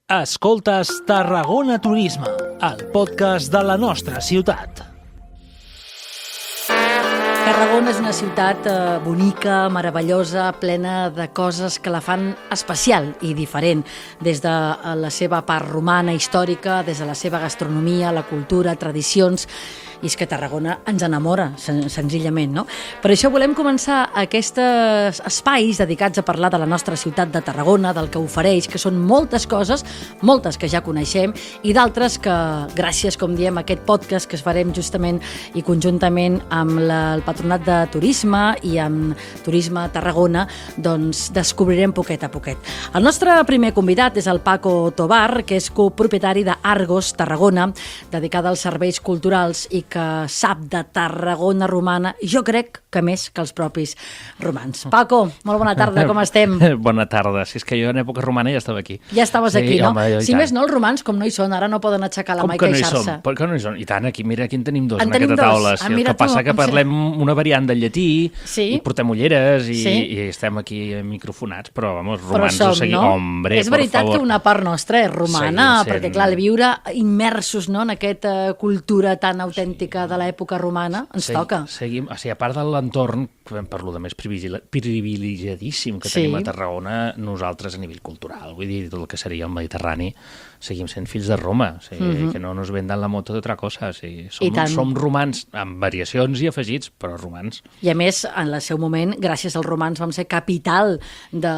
Escoltes Tarragona Turisme, el podcast de la nostra ciutat. Tarragona és una ciutat bonica, meravellosa, plena de coses que la fan especial i diferent, des de la seva part romana, històrica, des de la seva gastronomia, la cultura, tradicions. I és que Tarragona ens enamora, senzillament, no? Per això volem començar aquests espais dedicats a parlar de la nostra ciutat de Tarragona, del que ofereix, que són moltes coses, moltes que ja coneixem, i d'altres que, gràcies, com diem, a aquest podcast que es farem justament i conjuntament amb el Patronat de Turisme i amb Turisme Tarragona, doncs descobrirem poquet a poquet. El nostre primer convidat és el Paco Tobar, que és copropietari d'Argos Tarragona, dedicada als serveis culturals i que sap de Tarragona romana, jo crec que més que els propis romans. Paco, molt bona tarda, com estem? Bona tarda, si és que jo en època romana ja estava aquí. Ja estaves aquí, no? Home, si més no, els romans, com no hi són, ara no poden aixecar la mà i queixar-se. Per què no hi són? I tant, aquí, mira, aquí en tenim dos en aquesta taula. El que passa que parlem una variant del llatí i portem ulleres i estem aquí microfonats, però, vamos, romans ho seguim. Hombre, és veritat que una part nostra és romana, perquè, clar, viure immersos en aquesta cultura tan autèntica de l'època romana ens toca. Seguim, o sigui, a part de l'entorn, parlo de més privilegiadíssim que tenim a Tarragona, nosaltres a nivell cultural, vull dir, tot el que seria el Mediterrani, seguim sent fills de Roma, o sigui, que no nos vendan la moto d'altra cosa, o sigui, som romans amb variacions i afegits, però romans. I a més, en el seu moment, gràcies als romans vam ser capital de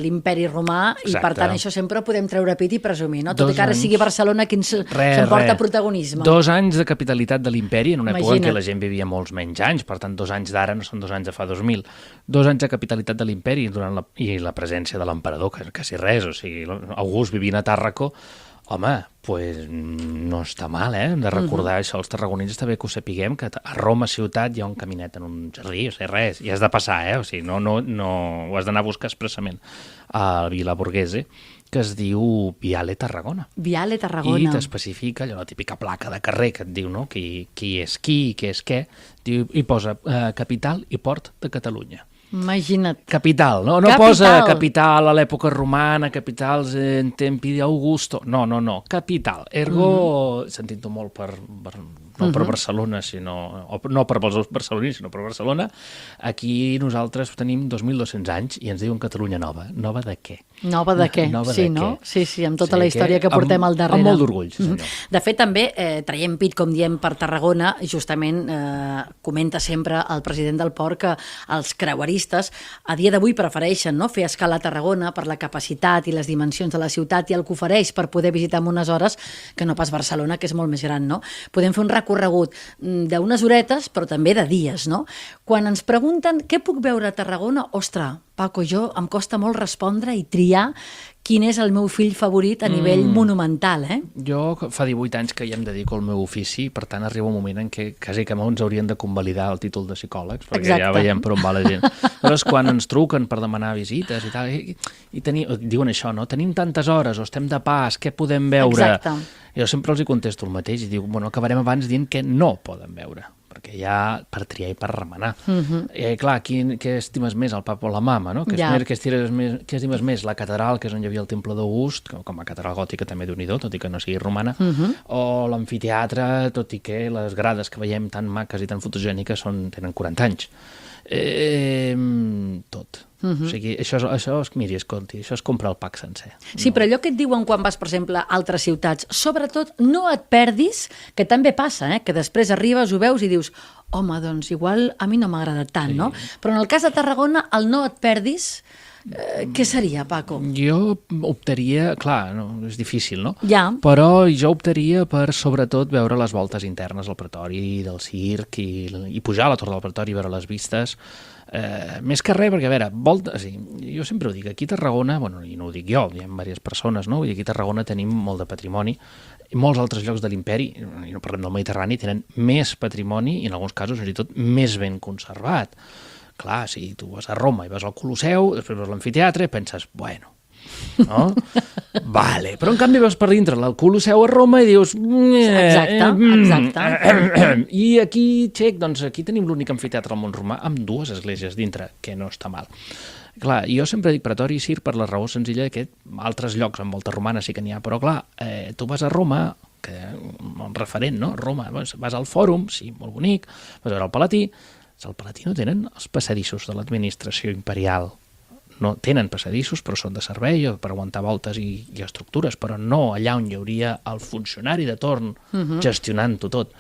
l'imperi romà i per tant això sempre ho podem treure pit i presumir, no? Tot i que ara sigui Barcelona qui ens porta protagonisme. 2 anys de capitalitat de l'imperi en una època en què la gent vivia molts menys anys, per tant 2 anys d'ara no són 2 anys de fa 2000. 2 anys de capitalitat de l'imperi i la presència de l'emperador, que quasi res, o sigui, August vivint a Tàrraco, home, pues no està mal, de recordar això. Els tarragonins està bé que ho sapiguem, que a Roma ciutat hi ha un caminet en un jardí, o sigui, res, i has de passar, o sigui, no ho has d'anar a buscar expressament a Vila Borghese, que es diu Viale Tarragona. Viale Tarragona. I t'especifica allò, la típica placa de carrer que et diu, no?, qui és qui i què és què, i posa capital i port de Catalunya. Imagina't. Capital, no? No posa capital a l'època romana, capitals en tempi d'Augusto. No. Capital. Ergo, sentint-ho molt per Barcelona, no per els barcelonins, sinó per Barcelona, aquí nosaltres tenim 2.200 anys i ens diuen Catalunya nova. Nova de què? Nova de què? Sí, no? Sí, amb tota la història que portem al darrere. Amb molt d'orgull, senyor. De fet, també traiem pit, com diem, per Tarragona, justament comenta sempre el president del port que els creueristes a dia d'avui prefereixen fer escala a Tarragona per la capacitat i les dimensions de la ciutat i el que ofereix per poder visitar en unes hores que no pas Barcelona, que és molt més gran, no? Podem fer un recorregut d'unes horetes, però també de dies, no? Quan ens pregunten què puc veure a Tarragona, ostres, Paco, em costa molt respondre i triar quin és el meu fill favorit a nivell monumental, Jo fa 18 anys que ja em dedico al meu ofici, per tant arriba un moment en què quasi que ens haurien de convalidar el títol de psicòlegs, perquè ja veiem per on va la gent. Llavors, quan ens truquen per demanar visites i tal, i diuen això, no? Tenim tantes hores o estem de pas, què podem veure? Exacte. Jo sempre els contesto el mateix i dic, acabarem abans dient què no poden veure, perquè hi ha per triar i per remenar. Clar, què estimes més, el papa o la mama, no? Què estimes més, la catedral, que és on hi havia el temple d'August, com a catedral gòtica també Déu-n'hi-do, tot i que no sigui romana, o l'amfiteatre, tot i que les grades que veiem tan maques i tan fotogèniques tenen 40 anys. Tot. O sigui, miri, escolti, això és comprar el pack sencer. Sí, però allò que et diuen quan vas, per exemple, a altres ciutats, sobretot no et perdis, que també passa, que després arribes, ho veus i dius, home, doncs igual a mi no m'ha agradat tant, no? Però en el cas de Tarragona, el no et perdis, què seria, Paco? Jo optaria, clar, és difícil, no? Ja. Però jo optaria per, sobretot, veure les voltes internes al Pretori, del circ, i pujar a la Torre del Pretori, veure les vistes. Més que res, perquè, a veure, jo sempre ho dic, aquí a Tarragona, i no ho dic jo, hi ha diverses persones, no? Aquí a Tarragona tenim molt de patrimoni, i molts altres llocs de l'imperi, i no parlem del Mediterrani, tenen més patrimoni, i en alguns casos, fins i tot, més ben conservat. Clar, si tu vas a Roma i vas al Colosseu, després vas a l'amfiteatre, penses, bueno, no? Vale, però en canvi vas per dintre el Colosseu a Roma i dius... Exacte. I aquí, doncs aquí tenim l'únic amfiteatre al món romà amb 2 esglésies dintre, que no està mal. Clar, jo sempre dic pretori i circ per la raó senzilla que altres llocs amb volta romana sí que n'hi ha, però clar, tu vas a Roma, que un referent, no? Roma, vas al Fòrum, sí, molt bonic, vas a veure el Palatí. El Palatí no tenen els passadissos de l'administració imperial. No tenen passadissos, però són de servei per aguantar voltes i estructures, però no allà on hi hauria el funcionari de torn gestionant-ho tot.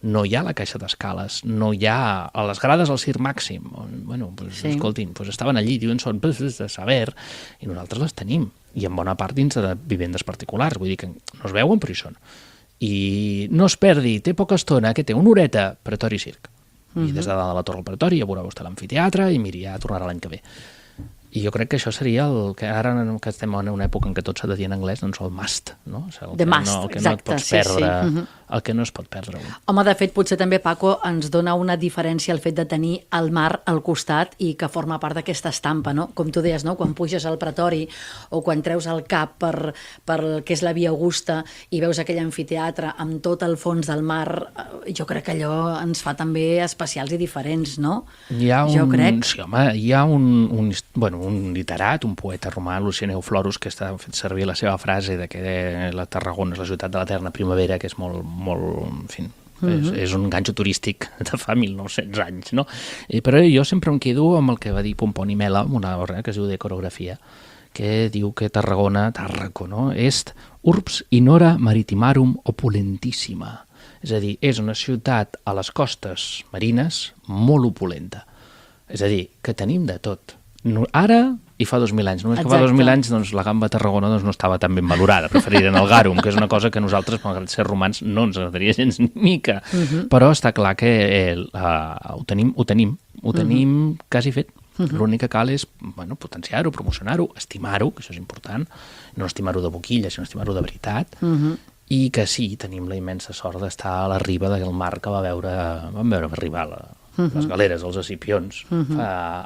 No hi ha la caixa d'escales, no hi ha a les grades al Circ Màxim. Bueno, pues, sí. Escoltin, pues estaven allí, diuen, són de saber, i nosaltres les tenim, i en bona part dins de vivendes particulars, vull dir que no es veuen, però hi són. I no es perdi, té poca estona, que té una horeta, Pretori Circ. I des de dalt de la Torre del Pretori ja veurà vostè l'amfiteatre i miri, ja tornarà l'any que ve. I jo crec que això seria el que ara que estem en una època en què tot s'ha de dir en anglès, doncs el must, no? El The must, no, el que exacte, no et pots perdre, el que no es pot perdre. Home, de fet, potser també, Paco, ens dona una diferència el fet de tenir el mar al costat i que forma part d'aquesta estampa, no? Com tu deies, no? Quan puges al Pretori o quan treus el cap per el que és la Via Augusta i veus aquell amfiteatre amb tot el fons del mar, jo crec que allò ens fa també especials i diferents, no? Jo crec. Sí, home, hi ha un literat, un poeta romà, Lucian Euflorus, que està fet servir la seva frase de que la Tarragona és la ciutat de l'eterna primavera, que és molt en fi, és un ganxo turístic de fa 1.900 anys, no? Però jo sempre em quedo amb el que va dir Pomponi Mela, una obra que es diu de coreografia, que diu que Tarraco, no? Est urbs inora maritimarum opulentissima. És a dir, és una ciutat a les costes marines molt opulenta. És a dir, que tenim de tot. Ara i fa 2.000 anys. Només que fa 2.000 anys doncs, la gamba a Tarragona doncs, no estava tan ben valorada. Preferiren el garum, que és una cosa que nosaltres, malgrat ser romans, no ens agradaria gens ni mica. Però està clar que ho tenim quasi fet. L'únic que cal és potenciar-ho, promocionar-ho, estimar-ho, que això és important, no estimar-ho de boquilla, sinó estimar-ho de veritat, i que sí, tenim la immensa sort d'estar a la riba del mar que vam veure arribar les galeres, els escipions,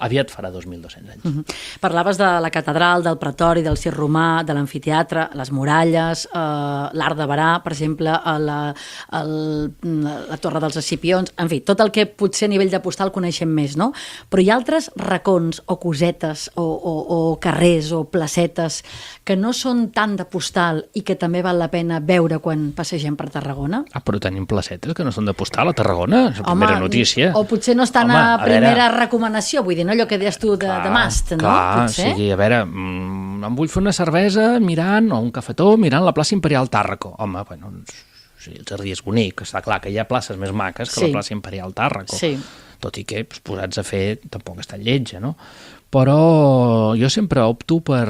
aviat farà 2.200 anys. Parlaves de la catedral, del pretori, del circ romà, de l'amfiteatre, les muralles, l'Arc de Berà, per exemple, la Torre dels Escipions, en fi, tot el que potser a nivell de postal coneixem més, no? Però hi ha altres racons o cosetes o carrers o placetes que no són tant de postal i que també val la pena veure quan passegem per Tarragona? Però tenim placetes que no són de postal a Tarragona, és la primera notícia. O potser no estan a primera recomanació, vull dir, no allò que deies tu de must, no? Clar, o sigui, a veure, em vull fer una cervesa mirant, o un cafetó, mirant la plaça Imperial Tàrraco. Home, bueno, el jardí és bonic, està clar que hi ha places més maques que la plaça Imperial Tàrraco, tot i que posats a fer tampoc està lletja, no? Però jo sempre opto per,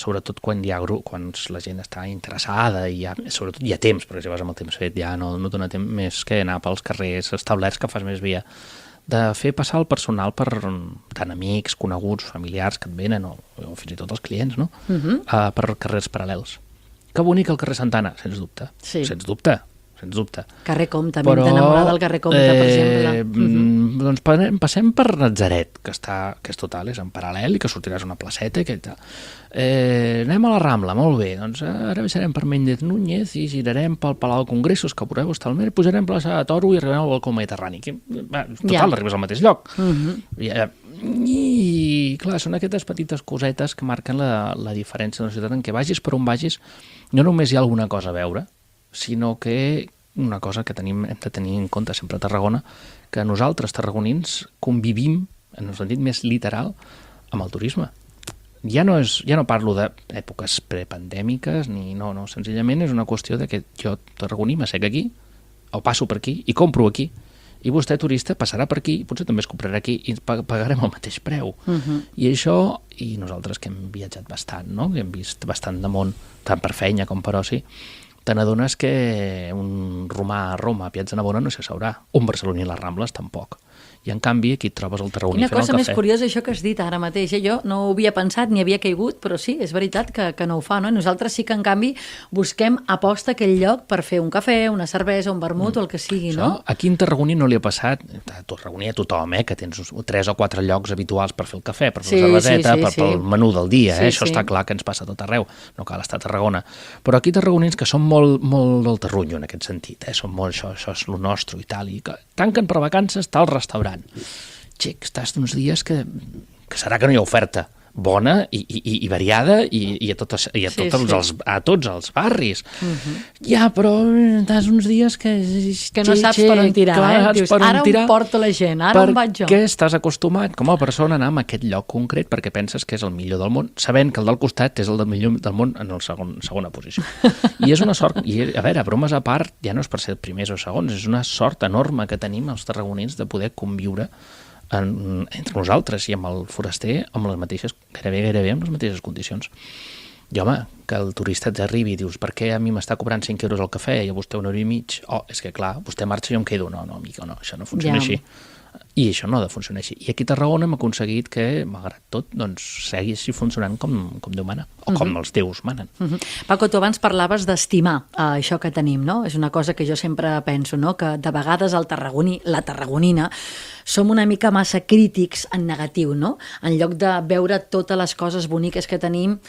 sobretot quan hi ha quan la gent està interessada i sobretot hi ha temps, perquè si vas amb el temps fet ja no dona temps més que anar pels carrers establerts que fas més via, de fer passar el personal per tant amics, coneguts, familiars que et venen o fins i tot els clients, no? Per carrers paral·lels. Que bonic el carrer Santana, sens dubte, sens dubte. Carrer Comte, m'hem d'enamorar del carrer Comte, per exemple. Doncs passem per Natzaret, que és total, és en paral·lel i que sortiràs una placeta i anem a la Rambla, molt bé, doncs ara baixarem per Méndez Núñez i girarem pel Palau de Congressos, que veureu estar al mer, pujarem per la Plaça de Toro i arribarem al balcó mediterrani. Total, arribes al mateix lloc. I clar, són aquestes petites cosetes que marquen la diferència de la ciutat en què vagis per on vagis, no només hi ha alguna cosa a veure, sinó que una cosa que hem de tenir en compte sempre a Tarragona, que nosaltres tarragonins convivim, en el sentit més literal, amb el turisme. Ja no parlo d'èpoques prepandèmiques, no, senzillament és una qüestió de que jo, tarragoní, m'assec aquí, o passo per aquí, i compro aquí, i vostè, turista, passarà per aquí, potser també es comprarà aquí, i pagarem el mateix preu. I això, i nosaltres que hem viatjat bastant, no? Que hem vist bastant de món, tant per feina com per oci, te n'adones que un romà a Roma, a Piazza Navona, no s'hi asseurà. Un barceloní a les Rambles, tampoc. I en canvi aquí et trobes el tarragoní fent el cafè. Quina cosa més curiosa això que has dit ara mateix. Jo no ho havia pensat ni havia caigut, però sí, és veritat que no ho fa, no? Nosaltres sí que en canvi busquem aposta aquell lloc per fer un cafè, una cervesa, un vermut o el que sigui, no? Aquí en Tarragoní no li ha passat, a Tarragoní a tothom, que tens 3 o 4 llocs habituals per fer el cafè, per fer la cerveseta, pel menú del dia, això està clar que ens passa a tot arreu, no cal estar a Tarragona. Però aquí tarragonins que són molt del terrunyo en aquest sentit, són molt això és lo nostre i tal, i tanquen per vacances tal restaurant. Xic, estàs uns dies que que serà que no hi ha oferta bona i variada i a tots els barris. Ja, però tens uns dies que no saps per on tirar, Dius, ara on porto la gent, ara on vaig jo? Perquè estàs acostumat com a persona a anar a aquest lloc concret perquè penses que és el millor del món, sabent que el del costat és el millor del món en la segona posició. I és una sort, i a veure, bromes a part, ja no és per ser primers o segons, és una sort enorme que tenim els tarragonins de poder conviure entre nosaltres i amb el foraster amb les mateixes, gairebé amb les mateixes condicions. I home, que el turista t'arribi i dius, per què a mi m'està cobrant 5 euros el cafè i a vostè 1,5 €? És que clar, vostè marxa i jo em quedo. No, amic, no, això no funciona així. I això no ha de funcionar així. I aquí a Tarragona hem aconseguit que, malgrat tot, doncs, segueixi funcionant com Déu mana, o com els déus manen. Paco, tu abans parlaves d'estimar això que tenim, no? És una cosa que jo sempre penso, no? Que de vegades el tarragoní, la tarragonina, som una mica massa crítics en negatiu, no? En lloc de veure totes les coses boniques que tenim,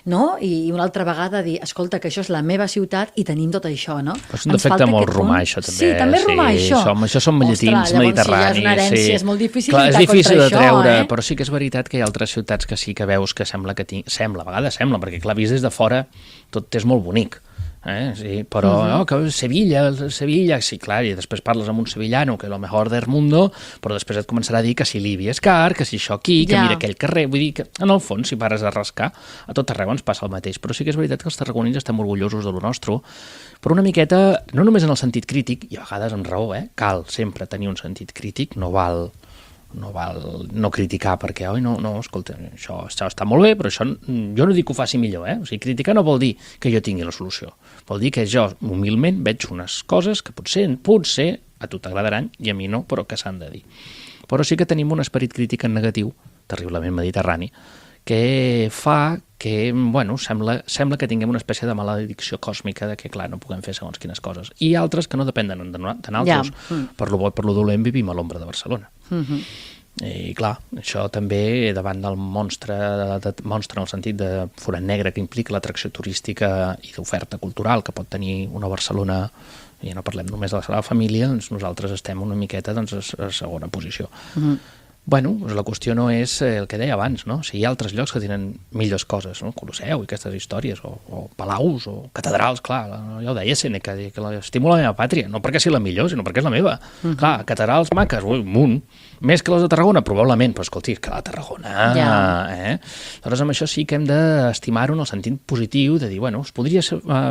no? I una altra vegada dir, escolta, que això és la meva ciutat i tenim tot això, no? Però és un defecte molt romà, això, també. Sí, també és romà, això. Això som llatins, mediterranis. Si ja és una herència, és molt difícil lluitar contra això. És difícil de treure, però sí que és veritat que hi ha altres ciutats que sí que veus que sembla que a vegades sembla, perquè clar, vist des de fora tot és molt bonic. Sí, però que Sevilla, sí, clar, i després parles amb un sevillano que és el mejor del mundo, però després et començarà a dir que si Líbia és car, que si això aquí, que mira aquell carrer, vull dir que en el fons, si pares a rascar, a tot arreu ens passa el mateix, però sí que és veritat que els tarragonins estem orgullosos de lo nostre, però una miqueta, no només en el sentit crític, i a vegades amb raó, cal sempre tenir un sentit crític, no val no criticar perquè, no, escolta, això està molt bé, però això jo no dic que ho faci millor, O sigui, criticar no vol dir que jo tingui la solució. Vol dir que jo, humilment, veig unes coses que potser a tu t'agradaran i a mi no, però que s'han de dir. Però sí que tenim un esperit crític en negatiu, terriblement mediterrani, que fa que, sembla que tinguem una espècie de maledicció còsmica de que, clar, no puguem fer segons quines coses. I altres que no depenen de nosaltres. Per lo bo i per lo dolent vivim a l'ombra de Barcelona. I clar, això també davant del monstre en el sentit de forat negre que implica l'atracció turística i d'oferta cultural que pot tenir una Barcelona, i ja no parlem només de la Sagrada Família, doncs nosaltres estem una miqueta a segona posició. La qüestió no és el que deia abans, no? Si hi ha altres llocs que tenen millors coses, no? Colosseu i aquestes històries, o palaus, o catedrals, clar, ja ho deia Sèneca, que l'estimo la meva pàtria, no perquè sigui la millor, sinó perquè és la meva. Clar, catedrals maques, un munt, més que les de Tarragona, probablement, però escolti, és que la Tarragona... Aleshores, amb això sí que hem d'estimar-ho en el sentit positiu, de dir, es podria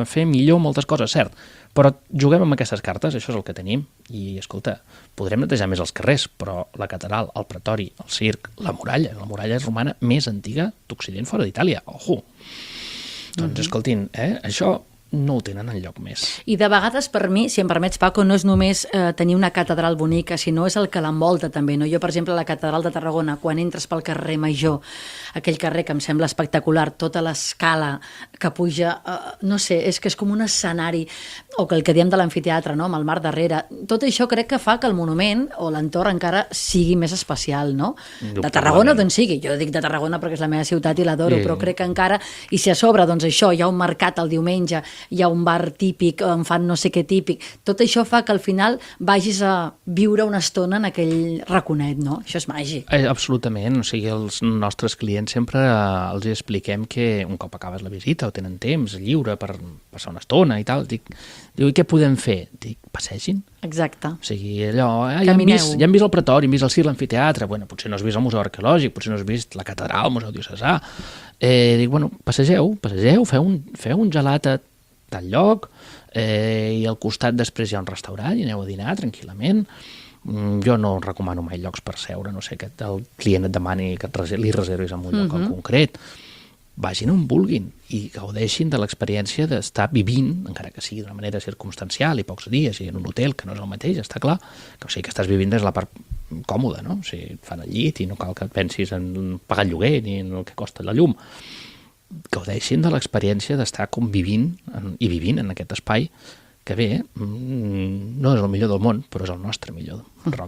fer millor moltes coses, cert, però juguem amb aquestes cartes, això és el que tenim, i, escolta, podrem netejar més els carrers, però la catedral, el pretori, el circ, la muralla és romana més antiga d'Occident fora d'Itàlia, ojo! Doncs, escoltin, això no ho tenen enlloc més. I de vegades, per mi, si em permets, Paco, no és només tenir una catedral bonica, sinó és el que l'envolta també, no? Jo, per exemple, a la catedral de Tarragona, quan entres pel carrer Major, aquell carrer que em sembla espectacular, tota l'escala que puja, no sé, és que és com un escenari, o que el que diem de l'amfiteatre, no? Amb el mar darrere, tot això crec que fa que el monument o l'entorn encara sigui més especial, no? De Tarragona d'on sigui, jo dic de Tarragona perquè és la meva ciutat i l'adoro, però crec que encara, i si a sobre, doncs això, hi ha un mercat el diumenge, hi ha un bar típic, on fan no sé què típic, tot això fa que al final vagis a viure una estona en aquell raconet, no? Això és màgic. Absolutament, o sigui, els nostres clients sempre els expliquem que un cop acabes la visita o tenen temps lliure per passar una estona i tal, diu, i què podem fer? Dic, passegin. Exacte. O sigui, allò, ja hem vist el pretori, hem vist el circ, l'amfiteatre, potser no has vist el museu arqueològic, potser no has vist la catedral, el museu diocesà. Dic, passegeu, feu un gelat a tal lloc, i al costat després hi ha un restaurant i aneu a dinar tranquil·lament. Jo no recomano mai llocs per seure, no sé, que el client et demani que li reservis en un lloc en concret. Vagin on vulguin i gaudeixin de l'experiència d'estar vivint, encara que sigui d'una manera circumstancial i pocs dies i en un hotel, que no és el mateix, està clar, que, o sigui, que estàs vivint des de la part còmoda, no? O sigui, et fan el llit i no cal que et pensis en pagar el lloguer ni en el que costa la llum. Gaudeixin de l'experiència d'estar convivint i vivint en aquest espai que bé, no és el millor del món, però és el nostre millor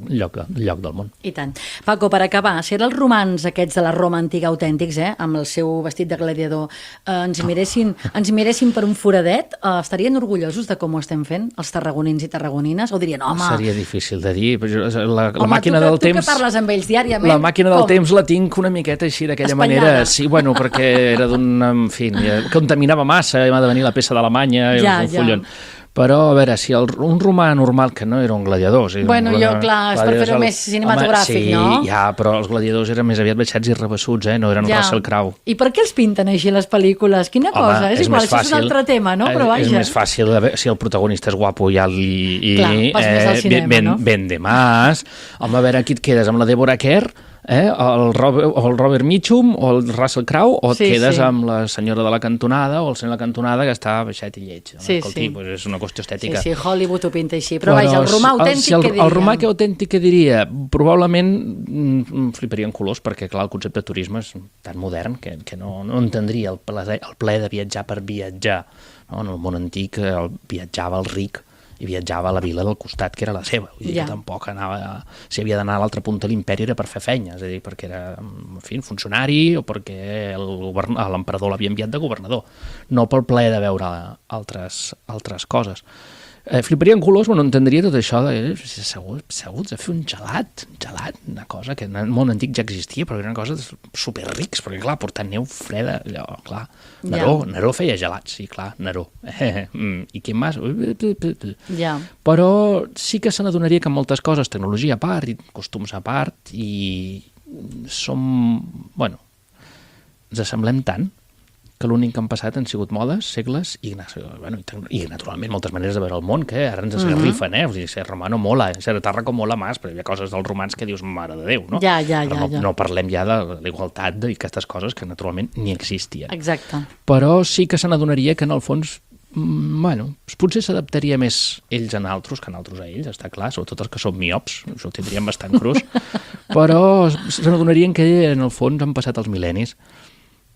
lloc del món. I tant. Paco, per acabar, si ara els romans aquests de la Roma antiga autèntics, amb el seu vestit de gladiador, ens miressin per un foradet, estarien orgullosos de com ho estem fent, els tarragonins i tarragonines? O dirien, home... Seria difícil de dir. La home, màquina del temps... tu que parles amb ells diàriament... La màquina del temps la tinc una miqueta així, d'aquella manera. Sí, bueno, perquè era d'un... En fi, contaminava massa, m'ha de venir la peça d'Alemanya, i un follon. Però, a veure, si un romà normal, que no era un gladiador... Bueno, clar, és per fer-ho més cinematogràfic, no? Sí, ja, però els gladiadors eren més aviat baixats i rebessuts, no eren Russell Crowe. I per què els pinten així les pel·lícules? Quina cosa? És igual, això és un altre tema, no? Però vaja. És més fàcil, si el protagonista és guapo i ben de mas. Home, a veure, aquí et quedes amb la Deborah Kerr, el Robert Mitchum o el Russell Crowe, o et quedes amb la senyora de la cantonada o el senyor de la cantonada que està baixet i lleig. Escolti, és una qüestió estètica. Sí, Hollywood ho pinta així. Però vaja, el romà autèntic, què diria? El romà autèntic, què diria? Probablement fliparia en colors, perquè clar, el concepte de turisme és tan modern que no entendria el plaer de viatjar per viatjar. En el món antic viatjava el ric i viatjava a la vila del costat, que era la seva. Vull dir que tampoc anava... Si havia d'anar a l'altra punta de l'imperi era per fer feina, és a dir, perquè era, en fi, funcionari o perquè l'emperador l'havia enviat de governador, no pel plaer de veure altres coses. Fliparia en colors, no entendria tot això de asseguts a fer un gelat, una cosa que en el món antic ja existia, però era una cosa superrics, perquè clar, portant neu freda, allò, clar. Neró feia gelats, sí, clar, Neró. I qui més? Però sí que se n'adonaria que moltes coses, tecnologia a part i costums a part, i ens assemblem tant que l'únic que han passat han sigut modes, segles i naturalment moltes maneres de veure el món, que ara ens esgarrifen, Vull dir, ser romà no mola, ser tarraco mola més, però hi havia coses dels romans que dius, mare de Déu, no? No parlem ja de la igualtat i aquestes coses que naturalment ni existien. Exacte. Però sí que se n'adonaria que en el fons potser s'adaptaria més ells a naltros que naltros a ells, està clar, sobretot els que són miops, això ho tindríem bastant crus, però se n'adonarien que en el fons han passat els mil·lennis,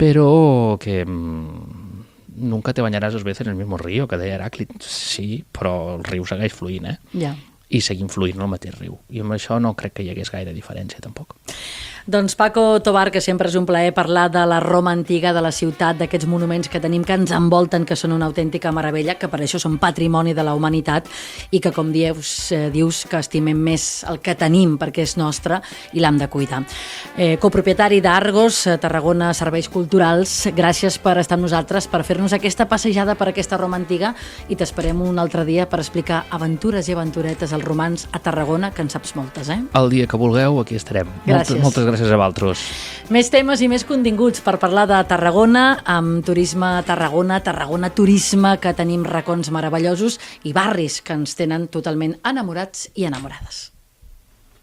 però que nunca te bañaràs dos veces en el mismo río, que deia Heràclit. Sí, però el riu segueix fluint, i seguim fluint en el mateix riu. I amb això no crec que hi hagués gaire diferència, tampoc. Doncs Paco Tobar, que sempre és un plaer parlar de la Roma antiga, de la ciutat, d'aquests monuments que tenim que ens envolten, que són una autèntica meravella, que per això són patrimoni de la humanitat i que, com dius que estimem més el que tenim perquè és nostre i l'hem de cuidar. Copropietari d'Argos, Tarragona Serveis Culturals, gràcies per estar amb nosaltres, per fer-nos aquesta passejada per aquesta Roma antiga, i t'esperem un altre dia per explicar aventures i aventuretes als romans a Tarragona, que en saps moltes, El dia que vulgueu, aquí estarem. Gràcies. Moltes gràcies a vosaltres. Més temes i més continguts per parlar de Tarragona, amb Turisme Tarragona, Tarragona Turisme, que tenim racons meravellosos i barris que ens tenen totalment enamorats i enamorades.